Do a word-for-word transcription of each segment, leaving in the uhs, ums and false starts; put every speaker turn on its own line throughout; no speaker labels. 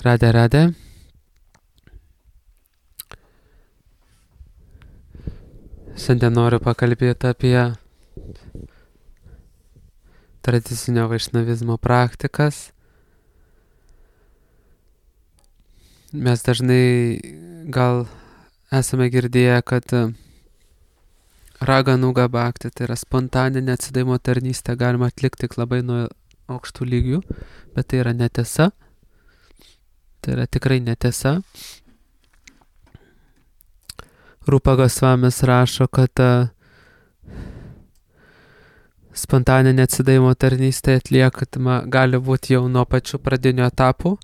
Radė, radė. Šiandien noriu pakalbėti apie tradicinio vaišnavizmo praktikas. Mes dažnai gal esame girdėję, kad raganuga bhakti, tai yra spontaninė atsidavimo tarnystė, galima atlikti tik labai nuo aukštų lygių, bet tai yra netiesa. Tai yra tikrai netiesa. Rupa Gosvamis rašo, kad spontaninė atsidavimo tarnystė atliekama gali būti jau nuo pačių pradinių etapų,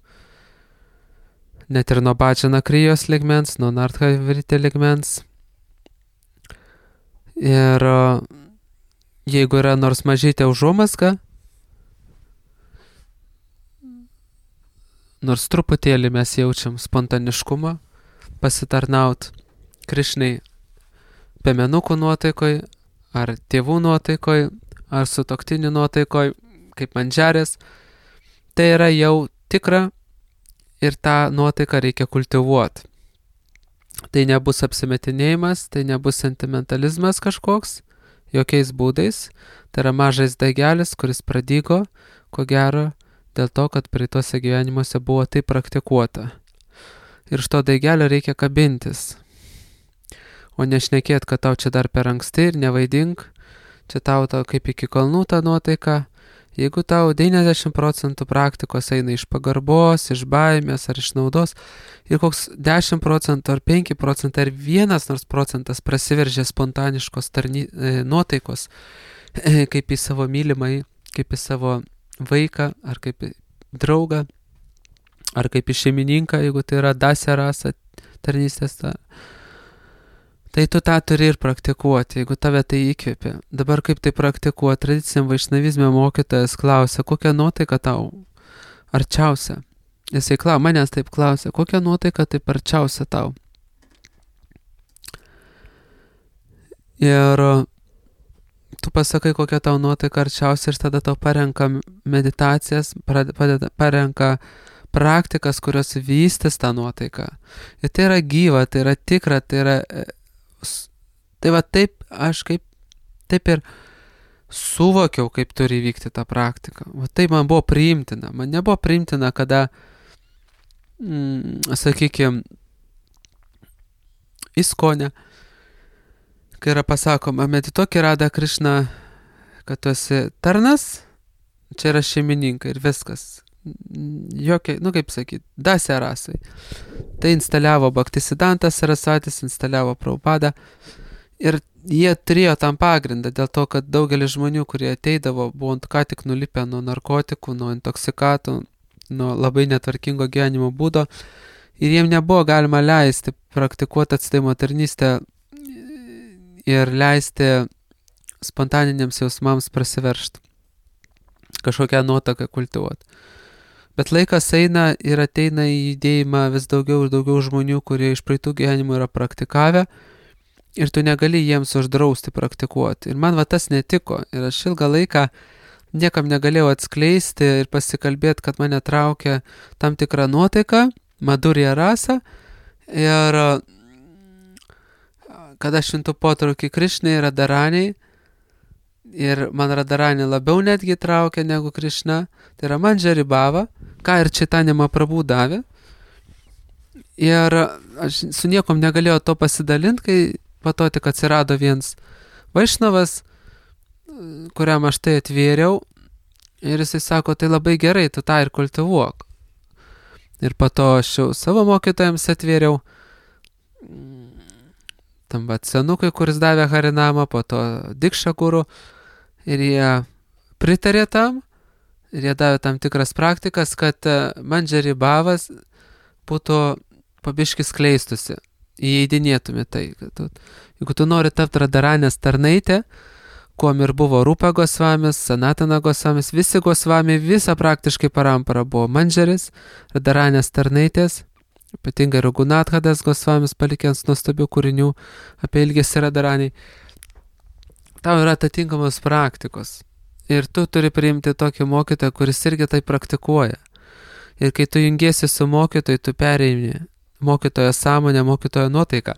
net ir nuo bhajana krijos ligmens, nuo narthavriti ligmens. Ir jeigu yra nors mažytė užuomazga, nors truputėlį mes jaučiam spontaniškumą, pasitarnaut Krišnai piemenukų nuotaikoj, ar tėvų nuotaikoj, ar sutuoktinių nuotaikoj, kaip mandžarės, tai yra jau tikra ir tą nuotaiką reikia kultivuoti. Tai nebus apsimetinėjimas, tai nebus sentimentalizmas kažkoks, jokiais būdais. Tai yra mažas daigelis, kuris pradygo, ko gero, dėl to, kad praeituose gyvenimuose buvo tai praktikuota. Ir iš to daigelio reikia kabintis. O nešnekėt, kad tau čia dar per anksti ir nevaidink, čia tau tau kaip iki kalnų ta nuotaika. Jeigu tau devyniasdešimt procentų praktikos eina iš pagarbos, iš baimės ar iš naudos, ir koks dešimt procentų ar penki procentai ar vienas nors procentas prasiveržia spontaniškos tarny, e, nuotaikos, e, kaip į savo mylimai, kaip į savo vaiką, ar kaip į draugą, ar kaip į šeimininką, jeigu tai yra dasya rasa tarnystės, ta, tai tu tą turi ir praktikuoti, jeigu tave tai įkvėpia. Dabar kaip tai praktikuoti, tradiciniam vaišnavizme mokytojas klausia, kokia nuotaika tau arčiausia. Jisai klau, manęs taip klausia, kokia nuotaika taip arčiausia tau. Ir tu pasakai, kokia tau nuotaika arčiausia, ir tada tau parenka meditacijas, padeda, parenka praktikas, kurios vystys tą nuotaiką. Ir tai yra gyva, tai yra tikra, tai yra... Tai va taip aš kaip, taip ir suvokiau, kaip turi vykti tą praktiką. Va taip man buvo priimtina. Man nebuvo priimtina, kada, mm, sakykime, įskonė, kai yra pasakoma, medituok į Radą Krišną, kad tu esi tarnas, čia yra šeimininkai ir viskas. Jokia, nu kaip sakyti, dasya rasai. Tai instaliavo Bhaktisiddhanta Sarasatis, instaliavo Prabhupada ir jie turėjo tam pagrindą dėl to, kad daugelis žmonių, kurie ateidavo, buvo ką tik nulipę nuo narkotikų, nuo intoksikatų, nuo labai netvarkingo gyvenimo būdo ir jiem nebuvo galima leisti praktikuoti atsidavimo tarnystę ir leisti spontaniniams jausmams prasiveržti, kažkokią nuotaką kultivuoti. Bet laikas eina ir ateina į judėjimą vis daugiau ir daugiau žmonių, kurie iš praeitų gyvenimų yra praktikavę ir tu negali jiems uždrausti praktikuoti. Ir man va tas netiko. Ir aš ilgą laiką niekam negalėjau atskleisti ir pasikalbėti, kad mane traukia tam tikrą nuotaiką, madurija rasa. Ir kad aš šintų potraukį Krišnai ir Radharaniai, ir man Radharani labiau netgi traukia negu Krišna, tai yra Manjari Bhava, ką ir Chaitanya Mahaprabhu davė. Ir aš su niekom negalėjau to pasidalinti, kai po to tik atsirado vienas vaišnavas, kuriam aš tai atvėriau, ir jisai sako, tai labai gerai, tu tą ir kultivuok. Ir po to aš jau savo mokytojams atvėriau, tam vat senukui, kuris davė Harinamą, po to Dikša guru, ir jie pritarė tam, ir jie davė tam tikras praktikas, kad Manjari Bhavas būtų pabiškis skleistusi, įeidinėtumė tai. Tu, jeigu tu nori tapti Radharanės tarnaitė, kuom ir buvo Rupa Gosvamis, Sanatana Gosvamis, visi Gosvami, visa praktiškai parampara buvo Manjaris, Radharanės tarnaitės, ypatingai Raghunathadas Gosvamis palikęs nuostabių kūrinių apie ilgesį Radharaniai. Tau yra atitinkamos praktikos. Ir tu turi priimti tokį mokytoją, kuris irgi tai praktikuoja. Ir kai tu jungiesi su mokytoju, tu pereini mokytojo sąmonę, mokytojo nuotaiką.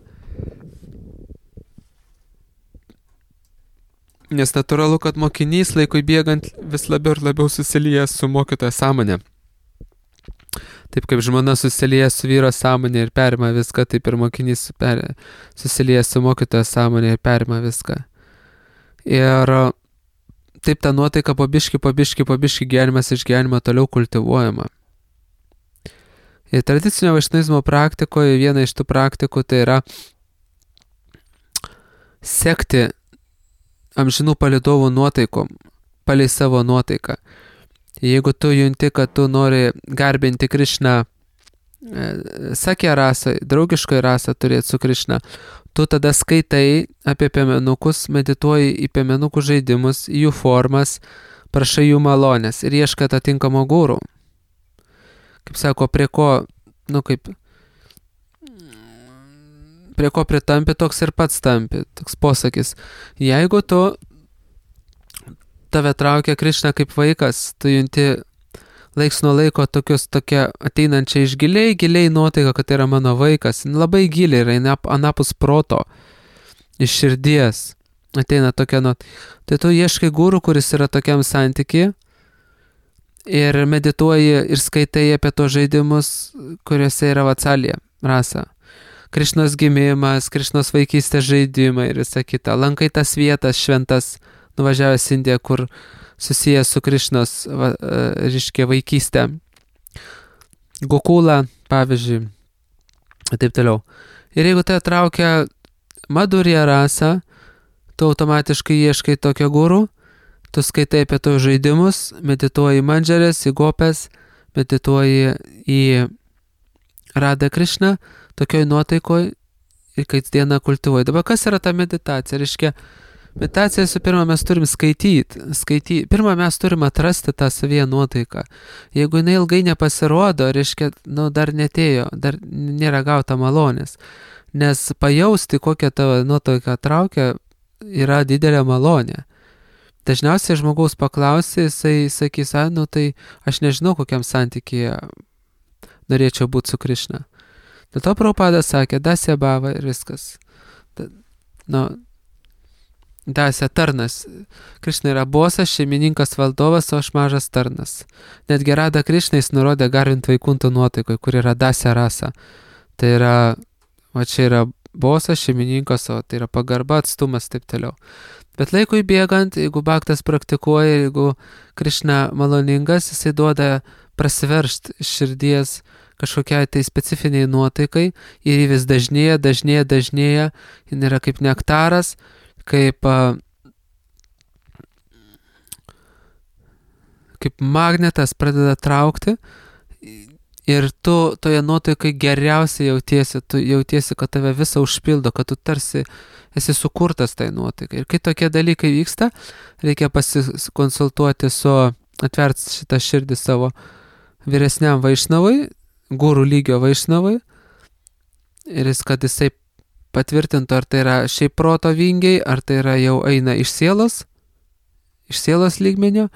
Nes natūralu, kad mokinys laikui bėgant vis labiau ir labiau susilieja su mokytojo sąmonė. Taip kaip žmona susilieja su vyro sąmonė ir perima viską, taip ir mokinys per, susilieja su mokytojo sąmonė ir perima viską. Ir taip ta nuotaika po biškį, po biškį, po biškį gyvenimas iš gyvenimo toliau kultivuojama. Ir tradicinio vaišnavizmo praktikoje viena iš tų praktikų tai yra sekti amžinų palydovų nuotaikom, palei savo nuotaiką. Jeigu tu junti, kad tu nori garbinti Krišną sakė rasą, draugiškai rasą turėti su Krišna, tu tada skaitai apie piemenukus, medituoji į piemenukų žaidimus, jų formas, prašai jų malonės ir ieškai atitinkamo gūrų. Kaip sako, prie ko, nu kaip, prie ko pritampi, toks ir pats tampi, toks posakis. Jeigu tu tave traukia Krišna kaip vaikas, tu junti laiks nuo laiko tokius, tokia ateinančia iš giliai, giliai nuotaika, kad tai yra mano vaikas, labai giliai yra anapus proto, iš širdies ateina tokia nuotaika. Tai tu ieškai gūrų, kuris yra tokiam santykiai ir medituoji ir skaitai apie tos žaidimus, kuriuose yra Vatsalija rasa. Krišnos gimimas, Krišnos vaikystės žaidimai ir visa kita. Lankai tas vietas šventas, nuvažiavęs Indiją, kur susijęs su Krišnos, va, reiškia, vaikystė. Gokula, pavyzdžiui, ir taip toliau. Ir jeigu tai traukia Madhurya rasa, tu automatiškai ieškai tokio gurų, tu skaitai apie tos žaidimus, medituoji į mandžarės, į gopės, medituoji į Radha Krišną, tokioj nuotaikoj ir kasdieną kultivuoji. Dabar kas yra ta meditacija? Reiškia, meditacija su pirma mes turim skaityti, skaityti. Pirma mes turim atrasti tą savyje nuotaiką. Jeigu jinai ilgai nepasirodo, reiškia, nu, dar netėjo, dar nėra gauta malonės. Nes pajausti, kokią tavo nuotaiką traukia, yra didelė malonė. Dažniausiai žmogaus paklausi, jisai sakys, a, nu tai aš nežinau, kokiam santykyje norėčiau būti su Krišna. Dėl to Prabhupada sakė, dasya bhava ir viskas. Da, nu, dasya tarnas. Krišna yra bosas, šeimininkas, valdovas, o aš mažas tarnas. Netgi Radha Krišna jis nurodė garbint vaikuntų nuotaikoj, kur yra dasya rasa. Tai yra, va čia yra bosas, šeimininkas, o tai yra pagarba, atstumas, taip toliau. Bet laikui bėgant, jeigu bhaktas praktikuoja, jeigu Krišna maloningas, jisai duoda prasiveršt iš širdies kažkokiai tai specifiniai nuotaikai ir jį vis dažnėja, dažnėja, dažnėja, jis yra kaip nektaras, kaip, kaip magnetas pradeda traukti ir tu toje nuotaikai geriausiai jautiesi, tu jautiesi, kad tave visą užpildo, kad tu tarsi esi sukurtas tai nuotaikai. Ir kai tokie dalykai vyksta, reikia pasikonsultuoti su, atvert šitą širdį savo vyresniam vaišnavui, gurų lygio vaišnavui, ir jis, kad jisai patvirtintų, ar tai yra šiaip proto vingiai, ar tai yra jau eina iš sielos, iš sielos lygmenio,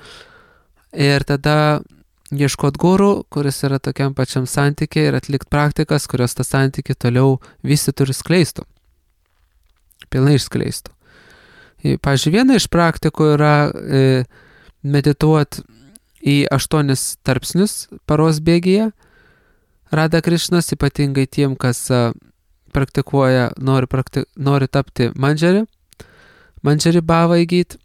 ir tada ieškot gurų, kuris yra tokiam pačiam santykiai, ir atlikt praktikas, kurios tą santykį toliau vystytų ir skleistų. Pilnai išskleistų. Pavyzdžiui, viena iš praktikų yra e, medituoti į aštuonis tarpsnius paros bėgyje. Radha Krišnos, ypatingai tiem, kas a, praktikuoja, nori, prakti, nori tapti mandžari, mandžari bhavą įgyti.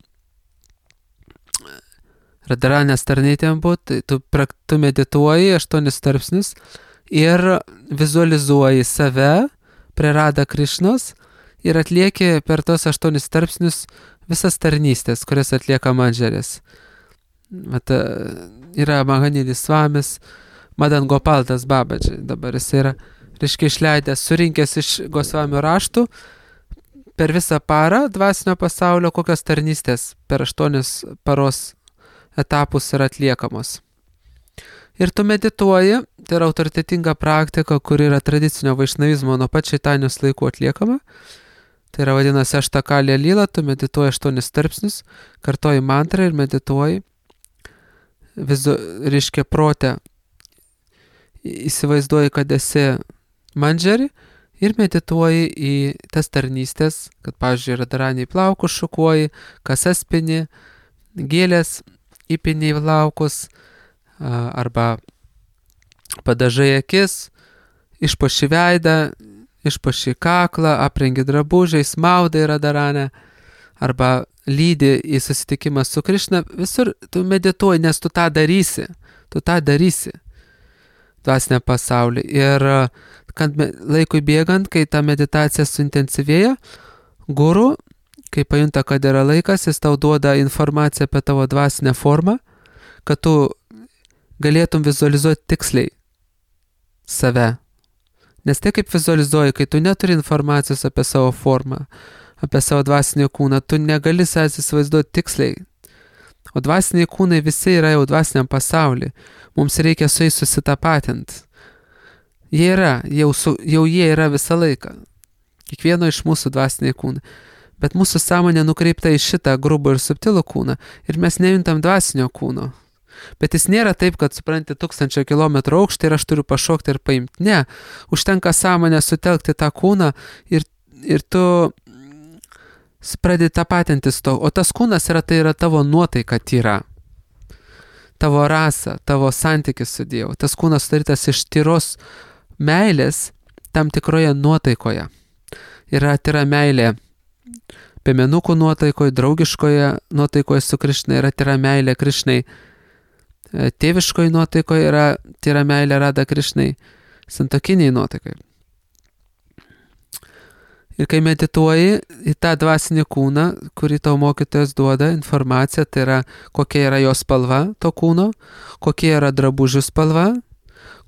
Radharanės tarnytėm būt, tu, tu medituoji aštuonis tarpsnius ir vizualizuoji save prie Radha Krišnos ir atlieki per tos aštuonis tarpsnius visas tarnystės, kurias atlieka mandžarės. Vat, yra Mahanidis Svamis, Madan Gopaldas Babadži, dabar jis yra, reiškia, išleidęs, surinkęs iš Gosvamio raštų per visą parą dvasinio pasaulio, kokios tarnystės per aštuonis paros etapus yra atliekamos. Ir tu medituoji, tai yra autoritetinga praktika, kuri yra tradicinio vaišnavizmo nuo pat Čaitanijos laikų atliekama. Tai yra vadinasi aštakalė lyla, tu medituoji aštuonis tarpsnius, kartoji mantrą ir medituoji, vizu, reiškia protę, įsivaizduoji, kad esi mandžeri ir medituoji į tas tarnystės, kad, pavyzdžiui, radaraniai plaukus šukuoji, kasas pini, gėlės įpini į plaukus, arba padažai akis, išpuoši veidą, išpuoši kaklą, aprengi drabužiais, maudai radaranę, arba lydi į susitikimą su Krišna, visur tu medituoji, nes tu tą darysi, tu tą darysi dvasinę pasaulį. Ir kad laikui bėgant, kai ta meditacija suintensyvėja, guru, kai pajunta, kad yra laikas, jis tau duoda informaciją apie tavo dvasinę formą, kad tu galėtum vizualizuoti tiksliai save. Nes tai kaip vizualizuoji, kai tu neturi informacijos apie savo formą, apie savo dvasinį kūną, tu negali savęs įsivaizduoti tiksliai. O dvasiniai kūnai visi yra jau dvasiniam pasauly. Mums reikia su jais susitapatinti. Jie yra, jau, su, jau jie yra visą laiką. Kiekvieno iš mūsų dvasiniai kūnai. Bet mūsų sąmonė nukreipta į šitą grubų ir subtilų kūną. Ir mes nejuntam dvasinio kūno. Bet jis nėra taip, kad supranti tūkstančio kilometrų aukštį ir aš turiu pašokti ir paimti. Ne, užtenka sąmonę sutelkti tą kūną ir, ir tu pradedi tapatintis to. O tas kūnas yra, tai yra tavo nuotaika tyra. Tavo rasa, tavo santykis su Dievu. Tas kūnas sudarytas iš tyros meilės tam tikroje nuotaikoje. Yra tyra meilė piemenukų nuotaikoje, draugiškoje nuotaikoje su Krišna, yra tyra meilė Krišnai. Tėviškoje nuotaikoje yra tyra meilė Rada Krišnai, santokiniai nuotaikai. Ir kai medituoji į tą dvasinį kūną, kurį tau mokytojas duoda informaciją, tai yra kokia yra jo spalva, to kūno, kokia yra drabužių spalva,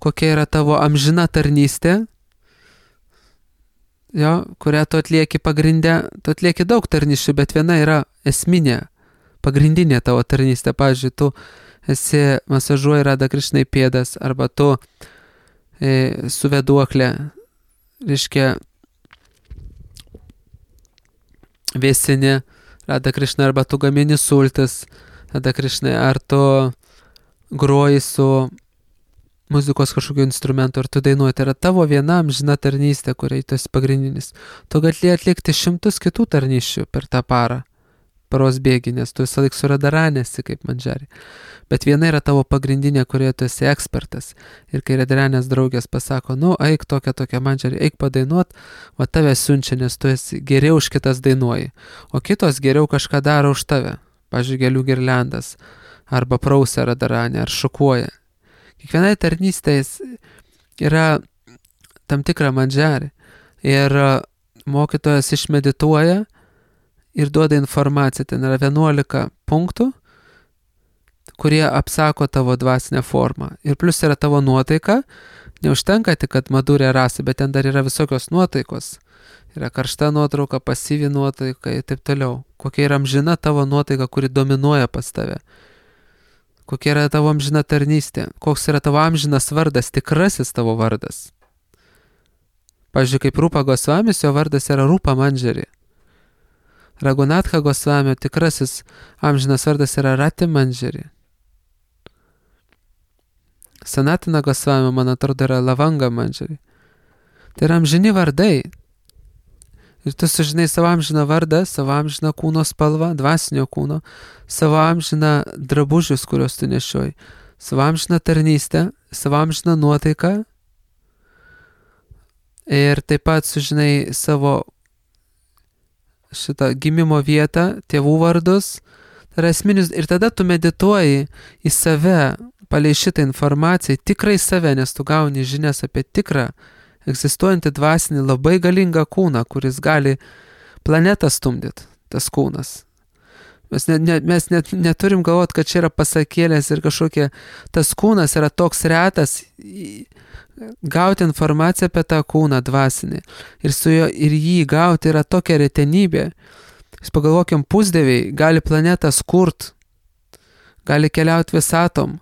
kokia yra tavo amžina tarnystė, jo, kurią tu atlieki pagrindę, tu atlieki daug tarnysčių, bet viena yra esminė, pagrindinė tavo tarnystė. Pavyzdžiui, tu esi masažuoji Rada Krišnai pėdas, arba tu e, su vėduoklė, reiškia, vėsini Rada Krišnai, arba tu gamini sultis Rada Krišnai, ar tu groji su muzikos kažkokiu instrumentu, ar tu dainuoji. Tai yra tavo viena amžina tarnystė, kuriai tu esi pagrindinis. Tu gali atlikti šimtus kitų tarnysčių per tą parą, paros bėgį, nes tu visą laiką su radaranėsi kaip mandžari. Bet viena yra tavo pagrindinė, kurioje tu esi ekspertas. Ir kai radaranės draugės pasako, nu, eik tokia tokia mandžari, eik padainuot, va tave siunčia, nes tu esi geriau už kitas dainuoji. O kitos geriau kažką daro už tave. Pavyzdžiui, gėlių girliandas, arba prausia radaranė, ar šukuoja. Kiekvienai tarnystės yra tam tikra mandžari. Ir mokytojas išmedituoja ir duoda informaciją. Ten yra vienuolika punktų, kurie apsako tavo dvasinę formą. Ir plus yra tavo nuotaika. Neužtenka tik, kad madurė rasa, bet ten dar yra visokios nuotaikos. Yra karšta nuotrauka, pasyvi nuotaika ir taip toliau. Kokia yra amžina tavo nuotaika, kuri dominuoja pas tave. Kokia yra tavo amžina tarnystė. Koks yra tavo amžinas vardas, tikrasis tavo vardas. Pavyzdžiui, kaip Rūpa Gosvamis, jo vardas yra Rūpa Mandžari. Ragunatha Gosvamio tikrasis amžinas vardas yra Rati Mandžari. Sanatina Gosvamio, man atrodo, yra Lavanga Mandžari. Tai yra amžini vardai. Ir tu sužinai savo amžiną vardą, savo amžiną kūno spalvą, dvasinio kūno, savo amžiną drabužius, kuriuos tu nešioji, savo amžiną tarnystę, savo amžiną nuotaiką. Ir taip pat sužinai savo šitą gimimo vietą, tėvų vardus. Tai yra esminis. Ir tada tu medituoji į save, palei šitą informaciją, tikrai save, nes tu gauni žinias apie tikrą egzistuojantį dvasinį labai galingą kūną, kuris gali planetą stumdyti, tas kūnas. Mes, ne, ne, mes net neturim galvoti, kad čia yra pasakėlės ir kažkokie, tas kūnas yra toks retas, gauti informaciją apie tą kūną dvasinį ir, su jo, ir jį gauti yra tokia retenybė. Jūs pagalvokim, pusdieviai gali planetą skurt, gali keliauti visatom,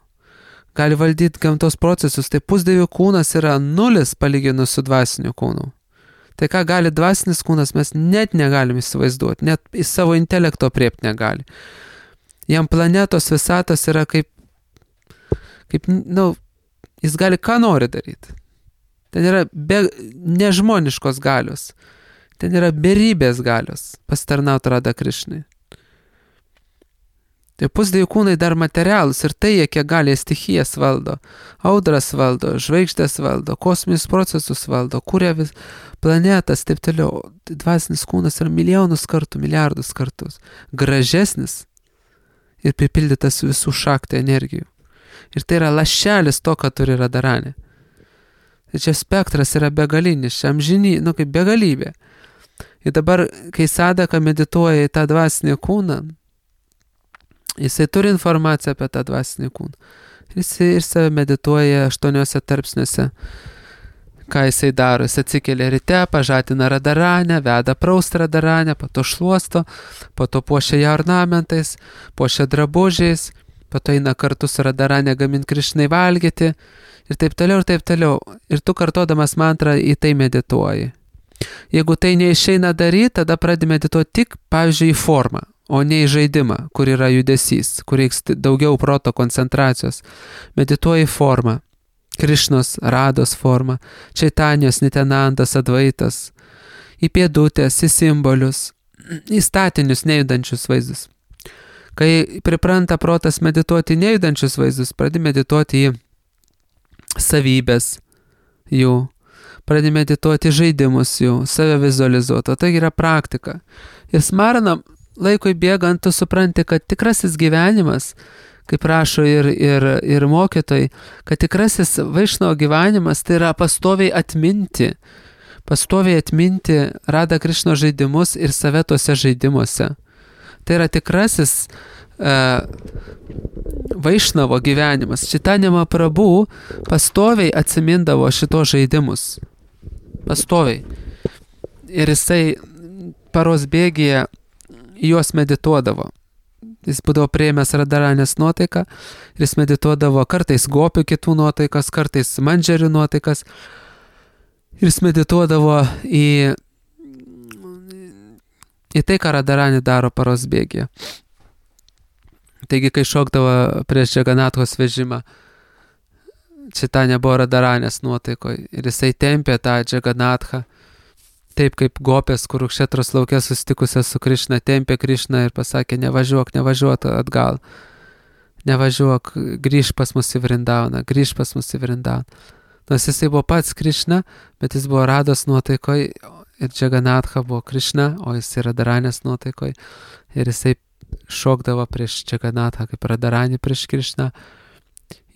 gali valdyti gamtos procesus, tai pusdievių kūnas yra nulis palyginus su dvasiniu kūnu. Tai ką gali dvasinis kūnas, mes net negalim įsivaizduoti, net į savo intelekto priepti negali. Jam planetos visatos yra kaip, kaip, nu, Jis gali ką nori daryti. Ten yra be, nežmoniškos galios. Ten yra beribės galios pasitarnauti Radha Krishnai. Tai pusdievių kūnai dar materialūs ir tai, kiek gali stichijas valdo, audras valdo, žvaigždės valdo, kosminius procesus valdo, kuria vis planetas, taip toliau. Dvasinis kūnas yra milijonus kartų, milijardus kartus gražesnis ir pripildytas visų šaktų energijų. Ir tai yra lašelis to, ką turi Radharani. Ir čia spektras yra begalinis, čia amžiny, nu kaip begalybė. Ir dabar, kai sadaka medituoja į tą dvasinį kūną, jisai turi informaciją apie tą dvasinį kūną. Jisai ir save medituoja aštuoniuose tarpsniuose. Ką jisai daro? Jis atsikelia ryte, pažadina Radharanę, veda praust Radharanę, po to šluosto, po to puošia ją ornamentais, puošia drabužiais, po to eina kartu su Radharanė gamint Krishnai valgyti ir taip toliau ir taip toliau. Ir tu kartodamas mantrą į tai medituoji. Jeigu tai neišeina daryti, tada pradedi medituoti tik, pavyzdžiui, į formą, o ne į žaidimą, kur yra judesys, kur reiks daugiau proto koncentracijos. Medituoji formą, Krišnos, Rados formą, Čaitanijos, Nityanandos, Advaitas, į pėdutės, į simbolius, į statinius nejudančius vaizdus. Kai pripranta protas medituoti nejudančius vaizdus, pradedi medituoti į savybės jų, pradedi medituoti žaidimus jų, save vizualizuoti, o tai yra praktika. Ir smaranam, laikui bėgant, tu supranti, kad tikrasis gyvenimas, kaip rašo ir, ir, ir mokytojai, kad tikrasis Vaišnavo gyvenimas tai yra pastoviai atminti, pastoviai atminti Radha Krishno žaidimus ir save tuose žaidimuose. Tai yra tikrasis uh, Vaišnavo gyvenimas. Chaitanya Mahaprabhu pastoviai atsimindavo šito žaidimus. Pastoviai. Ir jisai paros bėgyje juos medituodavo. Jis būdavo priėmęs Radharanės nuotaiką ir jis medituodavo kartais gopių kitų nuotaikas, kartais mandžerių nuotaikas. Ir jis medituodavo į, į tai, ką Radharanė daro paros bėgyje. Taigi, kai šokdavo prieš Džaganathos vežimą, Chaitanya buvo Radharanės nuotaikoje ir jisai tempė tą Džaganathą. Taip kaip gopės, kur Kšetros lauke susitikusios su Krišna, tempė Krišną ir pasakė, nevažiuok, nevažiuok atgal, nevažiuok, grįž pas mus į Vrindauną, grįž pas mus į Vrindauną. Nors jisai buvo pats Krišna, bet jis buvo Rados nuotaikoje ir Džaganatha buvo Krišna, o jis yra Radharanės nuotaikoje ir jisai šokdavo prieš Džaganathą kaip Radharanį prieš Krišną,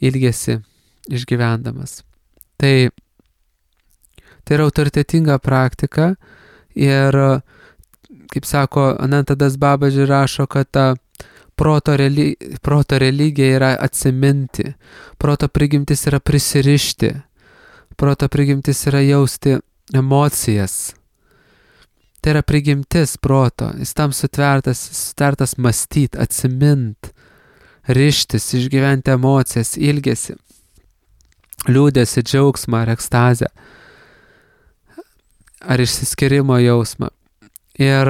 ilgėsi išgyvendamas. Tai Tai yra autoritetinga praktika ir, kaip sako, Anantadas Babaji rašo, kad ta proto, reli, proto religija yra atsiminti, proto prigimtis yra prisirišti, proto prigimtis yra jausti emocijas. Tai yra prigimtis proto, jis tam sutvertas, sutvertas mąstyt, atsimint, rištis, išgyventi emocijas, ilgesi, liūdėsi, džiaugsmą ar ekstazę. Ar išsiskyrimo jausmą. Ir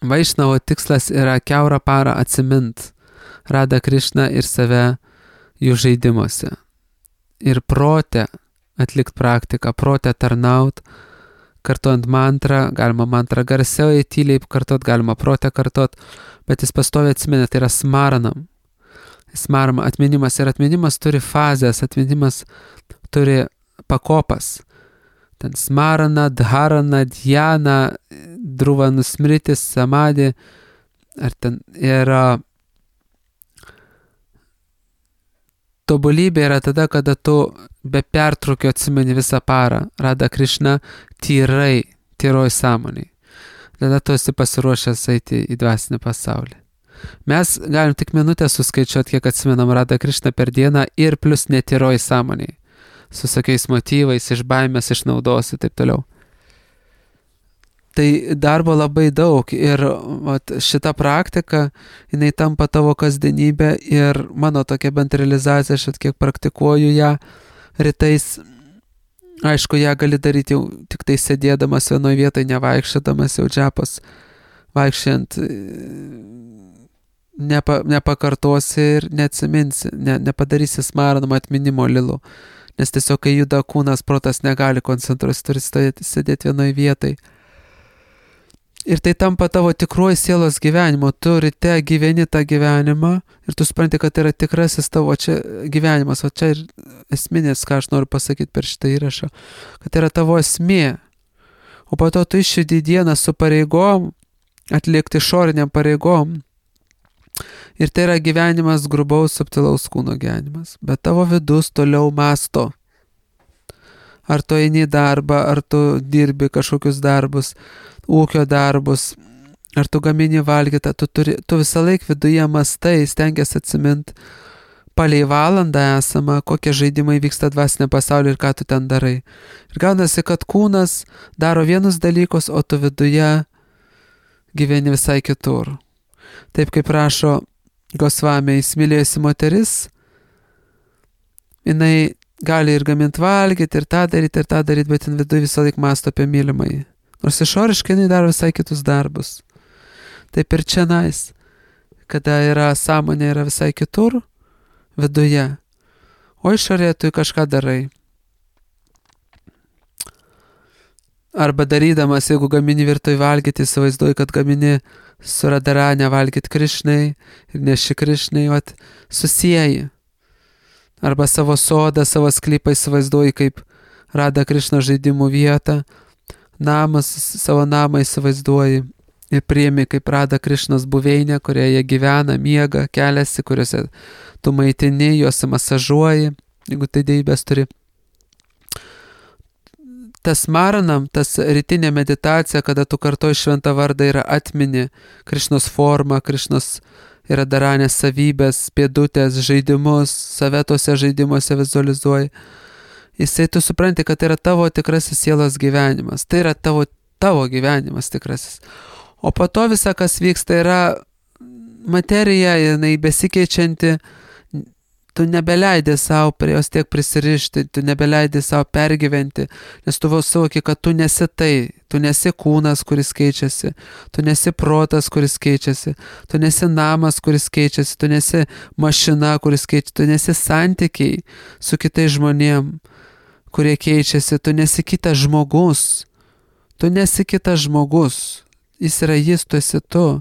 Vaišnavo tikslas yra kiaurą parą atsimint Radha Krishną ir save jų žaidimuose. Ir prote atlikt praktiką, prote tarnaut, kartuojant mantrą, galima mantrą garsiau, tyliai kartuot, galima prote kartuot, bet jis pastoviai atsimena, tai yra smaranam. Smarama, atminimas ir atminimas turi fazės, atminimas turi pakopas. Ten smarana, dharana, dhyana, dhruva nusmritis, samadhi, ar ten yra tobulybė yra tada, kada tu be pertraukio atsimeni visą parą Radha Krishna tyrai, tyroj sąmoniai. Tada tu esi pasiruošęs eiti į dvasinį pasaulį. Mes galim tik minutę suskaičiuoti, kiek atsimenam Radha Krishna per dieną ir plus netyroj sąmoniai. Su sakiais motyvais, iš baimės, iš naudos ir taip toliau. Tai darbo labai daug ir vat, šita praktika, jinai tampa tavo kasdienybė ir mano tokia bent realizacija, aš kiek praktikuoju ją rytais. Aišku, ją gali daryti jau tik tai sėdėdamas vienoje vietoje, nevaikščiodamas jau džapos, vaikščiant nepa, nepakartosi ir neatsiminsi, ne, nepadarysi smaranamo atminimo lilu. Nes tiesiog, kai juda kūnas, protas negali koncentruotis, turi stovėti, sėdėti vienoje vietai. Ir tai tampa tavo tikruoju sielos gyvenimu. Tu ryte gyveni tą gyvenimą ir tu supranti, kad tai yra tikrasis tavo čia gyvenimas. O čia ir esminės, ką aš noriu pasakyti per šitą įrašą, kad tai yra tavo esmė. O po to tu išjudi dieną su pareigom, atlikti išoriniam pareigom. Ir tai yra gyvenimas grubaus, subtilaus kūno gyvenimas. Bet tavo vidus toliau masto. Ar tu eini į darbą, ar tu dirbi kažkokius darbus, ūkio darbus, ar tu gamini valgytą, tu, turi, tu visą laiką viduje mastai, stengiasi atsiminti palei valandą esamą, kokie žaidimai vyksta dvasinė pasaulyje ir ką tu ten darai. Ir gaunasi, kad kūnas daro vienus dalykus, o tu viduje gyveni visai kitur. Taip kaip rašo Gosvami, įsimylėjusi moteris, jinai gali ir gaminti valgyti, ir tą daryti, ir tą daryti, bet jin viduje visą laiką mąsto apie mylimąjį. Nors išoriškai jinai daro visai kitus darbus. Taip ir čia nais, kada yra sąmonė yra visai kitur, viduje, o išorėje tu kažką darai. Arba darydamas, jeigu gamini virtuvėj valgyti, įsivaizduoji, kad gamini su Radharani valgyti Krišnai ir neši Krišnai, vat, susieji. Arba savo sodą, savo sklypą įsivaizduoji kaip Radha Krišna žaidimų vietą, namas, savo namą įsivaizduoji ir priimi kaip Radha Krišnos buveinę, kurioje jie gyvena, miega, keliasi, kuriuose tu maitini, juos masažuoji, jeigu tai deivės turi. Tas maranam, tas rytinė meditacija, kada tu kartoji šventą vardą, yra atmini Krišnos formą, Krišnos yra Radharanės savybės, pėdutės, žaidimus, save tose žaidimuose vizualizuoji. Jisai tu supranti, kad tai yra tavo tikrasis sielos gyvenimas, tai yra tavo, tavo gyvenimas tikrasis. O po to visa, kas vyksta, yra materija, jinai besikeičianti, tu nebeleidi savo prie jos tiek prisirišti, tu nebeleidi savo pergyventi, nes tu vėl suvoki, kad tu nesi tai, tu nesi kūnas, kuris keičiasi, tu nesi protas, kuris keičiasi, tu nesi namas, kuris keičiasi, tu nesi mašina, kuris keičiasi, tu nesi santykiai su kitais žmonėm, kurie keičiasi, tu nesi kitas žmogus, tu nesi kitas žmogus, jis yra jis, tu esi tu.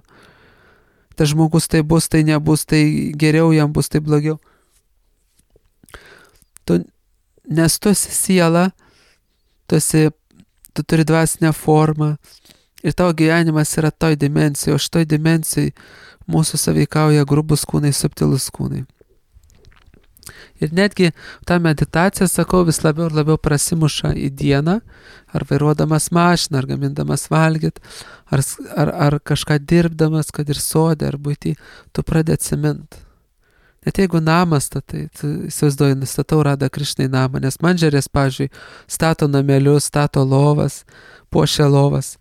Tas žmogus tai bus, tai nebus, tai geriau jam bus, tai blogiau. Tu, nes tu esi siela, tu, esi, tu turi dvasinę formą ir tavo gyvenimas yra toj dimensijai, o šitoj dimensijai mūsų sąveikauja grubus kūnai, subtilus kūnai. Ir netgi tą meditaciją, sakau, vis labiau ir labiau prasimuša į dieną, ar vairuodamas mašiną, ar gamindamas valgyt, ar, ar, ar kažką dirbdamas, kad ir sode, ar būti, tu pradedi atsimint. Net jeigu namas statai, tu įsivaizduoji, statau Radha Krišnai namą, nes mandžerės, pavyzdžiui, stato namelius, stato lovas, puošia lovas.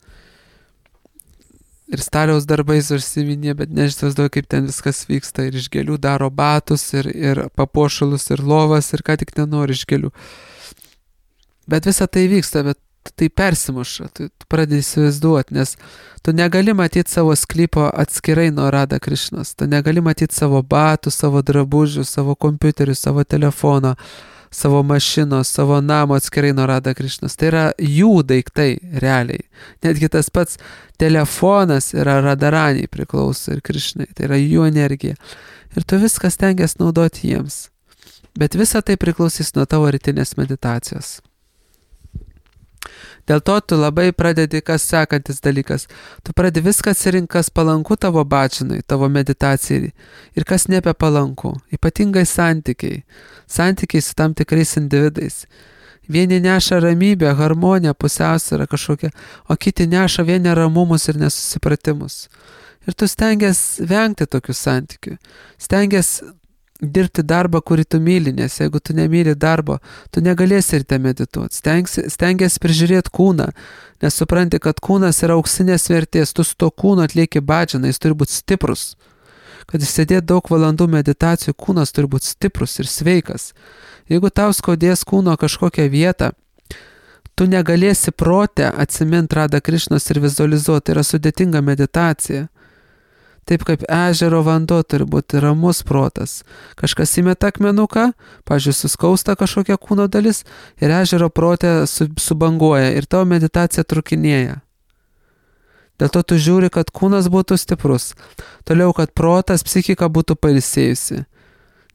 Ir staliaus darbais užsiminė, bet nežinau, kaip ten viskas vyksta. Ir iš gėlių daro batus, ir, ir papuošalus, ir lovas, ir ką tik nenori iš gėlių. Bet visa tai vyksta, bet tai persimuša, tu, tu pradedi įsivaizduoti, nes tu negali matyti savo sklypo atskirai nuo Radha Krišnos, tu negali matyti savo batų, savo drabužių, savo kompiuterių, savo telefono, savo mašinos, savo namo atskirai nuo Radha Krišnos. Tai yra jų daiktai realiai. Netgi tas pats telefonas yra Radharaniai priklauso ir Krišnai, tai yra jų energija. Ir tu viską stengiasi naudoti jiems. Bet visa tai priklausys nuo tavo rytinės meditacijos. Dėl to tu labai pradedi, kas sekantis dalykas. Tu pradedi viską atsirinkti, kas palanku tavo bačinai, tavo meditacijai ir kas nebepalanku. Ypatingai santykiai. Santykiai su tam tikrais individais. Vieni neša ramybę, harmoniją, pusiausvyrą kažkokią, o kiti neša vien neramumus ir nesusipratimus. Ir tu stengiasi vengti tokių santykių. Stengiasi dirbti darbą, kurį tu myli, nes jeigu tu nemyli darbo, tu negalėsi ir te medituoti. Stengiasi prižiūrėti kūną, nes supranti, kad kūnas yra auksinės vertės, tu su to kūnu atlieki bhajaną, jis turi būti stiprus. Kad jis sėdėt daug valandų meditacijų, kūnas turi būti stiprus ir sveikas. Jeigu tau skaudės kūno kažkokią vietą, tu negalėsi protę atsiminti Radha Krišnos ir vizualizuoti, tai yra sudėtinga meditacija. Taip kaip ežero vanduo turi būti ramus protas. Kažkas įmeta akmenuką, pavyzdžiui, suskausta kažkokia kūno dalis ir ežero protė subanguoja ir tavo meditacija trukinėja. Dėl to tu žiūri, kad kūnas būtų stiprus. Toliau, kad protas, psichika būtų pailsėjusi.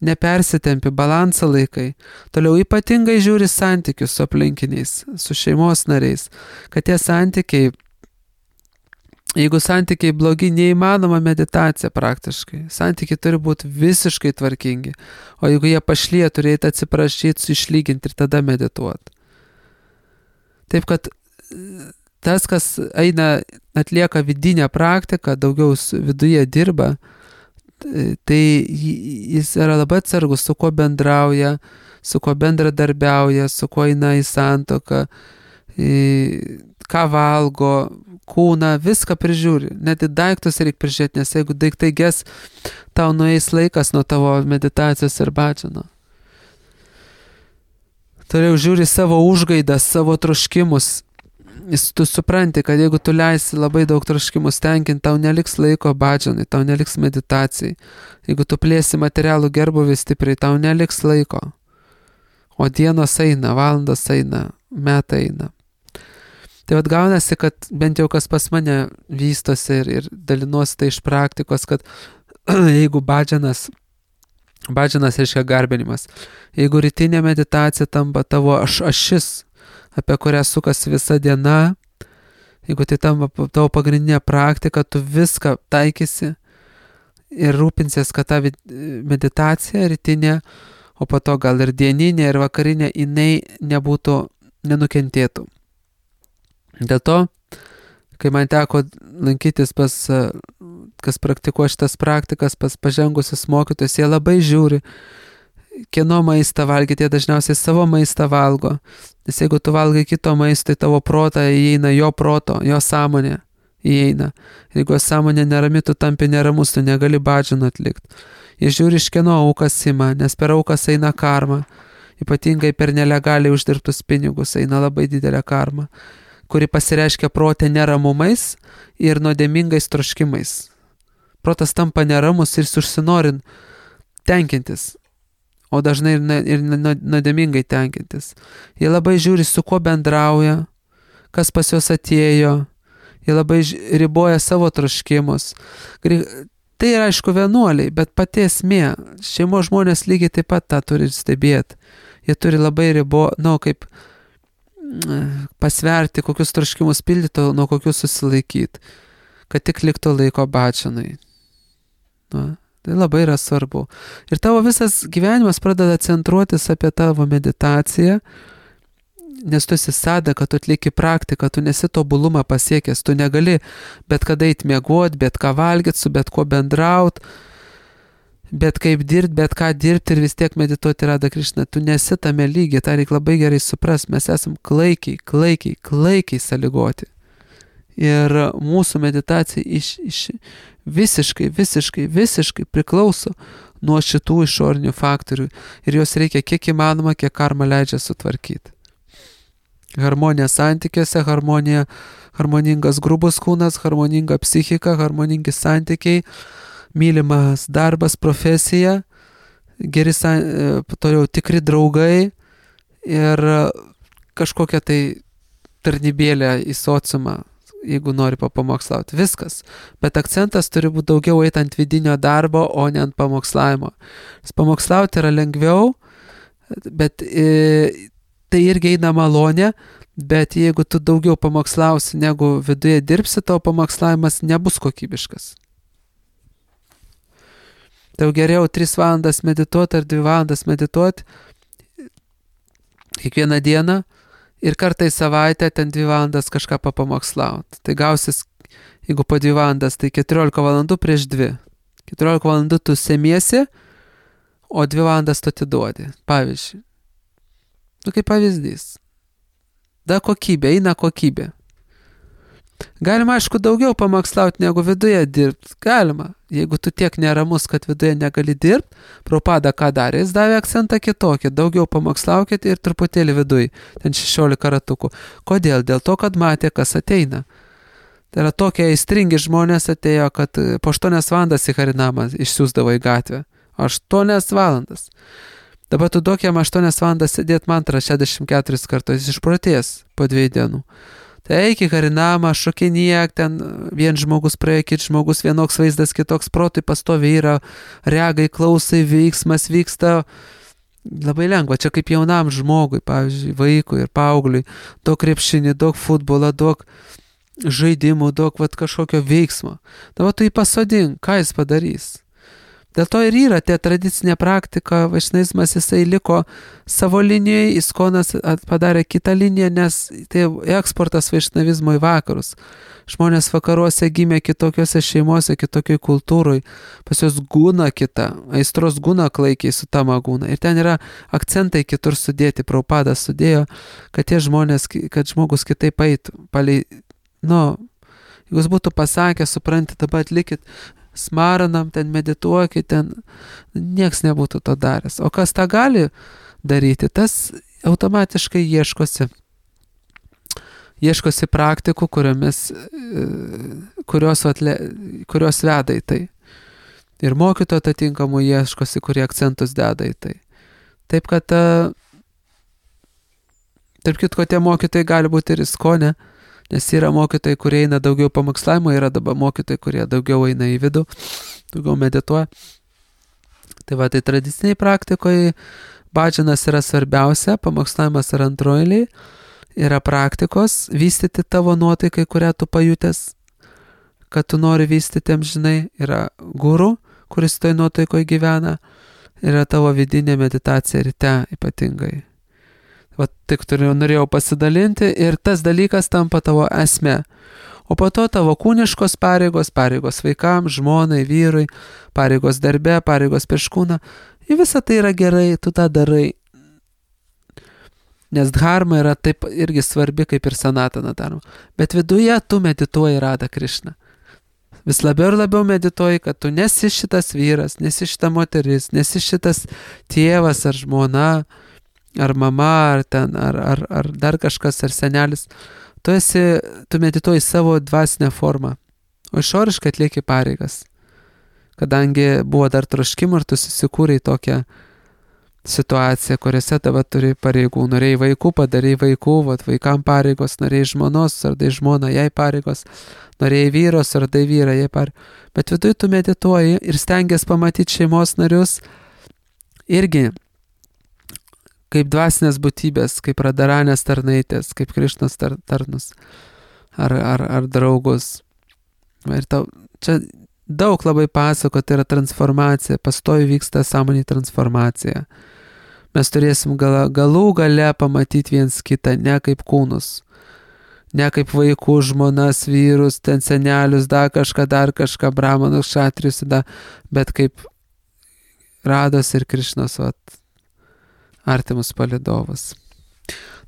Nepersitempi, balansą laikai. Toliau ypatingai žiūri santykius su aplinkiniais, su šeimos nariais. Kad tie santykiai, jeigu santykiai blogi, neįmanoma meditacija praktiškai. Santykiai turi būti visiškai tvarkingi. O jeigu jie pašlyja, turėtų atsiprašyti, išlyginti ir tada medituoti. Taip, kad tas, kas eina, atlieka vidinę praktiką, daugiau viduje dirba, tai jis yra labai atsargus, su kuo bendrauja, su kuo bendradarbiauja, su kuo eina į santuoką, ką valgo, kūną, viską prižiūri. Net į daiktus reikia prižiūrėti, nes jeigu daiktai ges, tau nueis laikas nuo tavo meditacijos ir bačino. Toliau žiūri savo užgaidas, savo troškimus. Tu supranti, kad jeigu tu leisi labai daug troškimus tenkinti, tau neliks laiko badžanai, tau neliks meditacijai. Jeigu tu plėsi materialų gerbuvį stipriai, tau neliks laiko. O dienos eina, valandos eina, metai eina. Tai vat gaunasi, kad bent jau kas pas mane vystosi ir, ir dalinuosi tai iš praktikos, kad jeigu badžanas, badžanas reiškia garbinimas, jeigu rytinė meditacija tampa tavo aš, ašis, apie kurią sukasi visa diena, jeigu tai tampa tavo pagrindinė praktika, tu viską taikysi ir rūpinsies, kad ta meditacija rytinė, o po to gal ir dieninė, ir vakarinė, jinai nebūtų, nenukentėtų. Dėl to, kai man teko lankytis pas, kas praktikuoja šitas praktikas, pas pažengusius mokytojus, jie labai žiūri, kieno maistą valgyti, jie dažniausiai savo maistą valgo. Nes jeigu tu valgai kito maisto, tai tavo protą įeina jo proto, jo sąmonė įeina. Jeigu sąmonė nerami, tu tampi neramus, tu negali badžino atlikti. Jie žiūri, iš kieno aukas ima, nes per aukas eina karma. Ypatingai per nelegaliai uždirbtus pinigus eina labai didelė karma, kuri pasireiškia protė neramumais ir nuodėmingais troškimais. Protas tampa neramus ir užsinorin tenkintis, o dažnai ir nuodėmingai tenkintis. Jie labai žiūri, su kuo bendrauja, kas pas juos atėjo, jie labai riboja savo troškimus. Tai yra, aišku, vienuoliai, bet pati esmė, šeimos žmonės lygiai taip pat tą turi stebėti. Jie turi labai ribo, nu, kaip pasverti, kokius troškimus pildyti, nuo kokius susilaikyti, kad tik liktų laiko bačanai. Nu. Tai labai yra svarbu. Ir tavo visas gyvenimas pradeda centruotis apie tavo meditaciją, nes tu esi sadaka, tu atlieki praktiką, tu nesi tobulumą pasiekęs, tu negali bet kada eit miegot, bet ką valgyt, su bet kuo bendraut, bet kaip dirbti, bet ką dirbti ir vis tiek medituoti Radha Krišna. Tu nesi tame lygiai, tą reikia labai gerai suprast. Mes esam klaikiai, klaikiai, klaikiai sąlygoti. Ir mūsų meditacija iš, iš visiškai, visiškai, visiškai priklauso nuo šitų išorinių faktorių ir jos reikia kiek įmanoma, kiek karma leidžia sutvarkyti. Harmonija santykiuose, harmonija, harmoningas grubus kūnas, harmoninga psichika, harmoningi santykiai, mylimas darbas, profesija, geri, toliau tikri draugai ir kažkokia tai tarnybėlė į sociumą, jeigu nori papamokslauti. Viskas. Bet akcentas turi būti daugiau eit ant vidinio darbo, o ne ant pamokslavimo. Pamokslauti yra lengviau, bet e, tai irgi eina malonė, bet jeigu tu daugiau pamokslausi, negu viduje dirbsi, tavo pamokslavimas nebus kokybiškas. Tai geriau tris valandas medituoti ar dvi valandas medituoti kiekvieną dieną, ir kartą į savaitę ten dvi valandas kažką papamokslauti. Tai gausis, jeigu po dvi valandas, tai keturiolika valandų prieš dvi. keturiolika valandų tu semiesi, o dvi valandas tu atiduodi. Pavyzdžiui. Nu, kaip pavyzdys. Da kokybė, eina kokybė. Galima, aišku, daugiau pamokslauti negu viduje dirbti. Galima. Jeigu tu tiek neramus, kad viduje negali dirbti, Prabhupada ką darė, jis davė akcentą kitokį. Daugiau pamokslaukit ir truputėlį viduj. Ten šešiolika ratukų. Kodėl? Dėl to, kad matė, kas ateina. Tai yra tokie aistringi žmonės atėjo, kad po aštuonias valandas į Harinamą išsiųsdavo į gatvę. aštuonias valandas. Dabar tu duok jam aštuonias valandas sėdėti mantrą šešiasdešimt keturis kartus, jis išprotės po dviejų dienų. Tai eik į Harinamą, šokinėk, ten vien žmogus praėjo, kit žmogus, vienoks vaizdas, kitoks protui pastovi yra, reagai, klausai, veiksmas vyksta. Labai lengva, čia kaip jaunam žmogui, pavyzdžiui, vaikui ir paaugliui, daug krepšinį, daug futbolą, daug žaidimų, daug vat, kažkokio veiksmo. Dabar tu jį pasodink, ką jis padarys? Dėl to ir yra tie tradicinė praktika, vaišnizmas jisai liko savo linijoje, Iskonas padarė kitą liniją, nes tai eksportas vaišnavizmo į vakarus. Žmonės vakaruose gimė kitokiose šeimose, kitokioj kultūroj, pas juos guna kita, aistros guna klaikiai su tama guna. Ir ten yra akcentai kitur sudėti, Prabhupada sudėjo, kad tie žmonės, kad žmogus kitaip eitų. Palei, nu, jeigu jis būtų pasakę, supranti, dabar atlikit, smaranam, ten medituokit, ten nieks nebūtų to daręs. O kas tą gali daryti, tas automatiškai ieškosi. Ieškosi praktikų, kuriomis, kurios, atle, kurios veda į tai. Ir mokytojų atitinkamų ieškosi, kurie akcentus deda į tai. Taip kad, tarp kitko, tie mokytojai gali būti ir Iskone, nes yra mokytojai, kurie eina daugiau pamokslavimo, yra dabar mokytojai, kurie daugiau eina į vidų, daugiau medituoja. Tai va, tai tradiciniai praktikoje bhadžanas yra svarbiausia, pamokslavimas yra antroji, yra praktikos, vystyti tavo nuotaikai, kurią tu pajutęs, kad tu nori vystyti amžinai, yra guru, kuris toj nuotaikoje gyvena, yra tavo vidinė meditacija ryte ypatingai. Va, tik turėjau, norėjau pasidalinti ir tas dalykas tampa tavo esmė. O po to tavo kūniškos pareigos, pareigos vaikams, žmonai, vyrui, pareigos darbe, pareigos prieš kūną. Ir visa tai yra gerai, tu tą darai. Nes dharma yra taip irgi svarbi kaip ir sanatana dharma. Bet viduje tu medituoji Radha Krishna. Vis labiau ir labiau medituoji, kad tu nesi šitas vyras, nesi šita moteris, nesi šitas tėvas ar žmona, ar mama, ar ten, ar, ar, ar dar kažkas, ar senelis. Tu esi, tu medituoji savo dvasinę formą, o išoriškai atlieki pareigas. Kadangi buvo dar troškimų ir tu susikūrei tokią situaciją, kuriuose tave turi pareigų. Norėjai vaikų, padarei vaikų, vat, vaikam pareigos, norėjai žmonos, sardai žmoną, jai pareigos, norėjai vyros, sardai vyrą, jai pareigos. Bet viduje tu medituoji ir stengiasi pamatyti šeimos narius irgi kaip dvasinės būtybės, kaip radaranės tarnaitės, kaip Krišnos tar, tarnus ar, ar, ar draugus. Ir tau, čia daug labai pasako, tai yra transformacija, pastovi vyksta sąmonė transformacija. Mes turėsim gal, galų gale pamatyti viens kitą, ne kaip kūnus, ne kaip vaikų, žmonas, vyrus, ten senelius, dar kažką, dar kažką, brahmanus, šatrius, da, bet kaip Rados ir Krišnos, vat, artimus palidovus.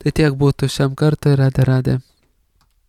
Tai tiek būtų šiam kartui, Radhe Radhe.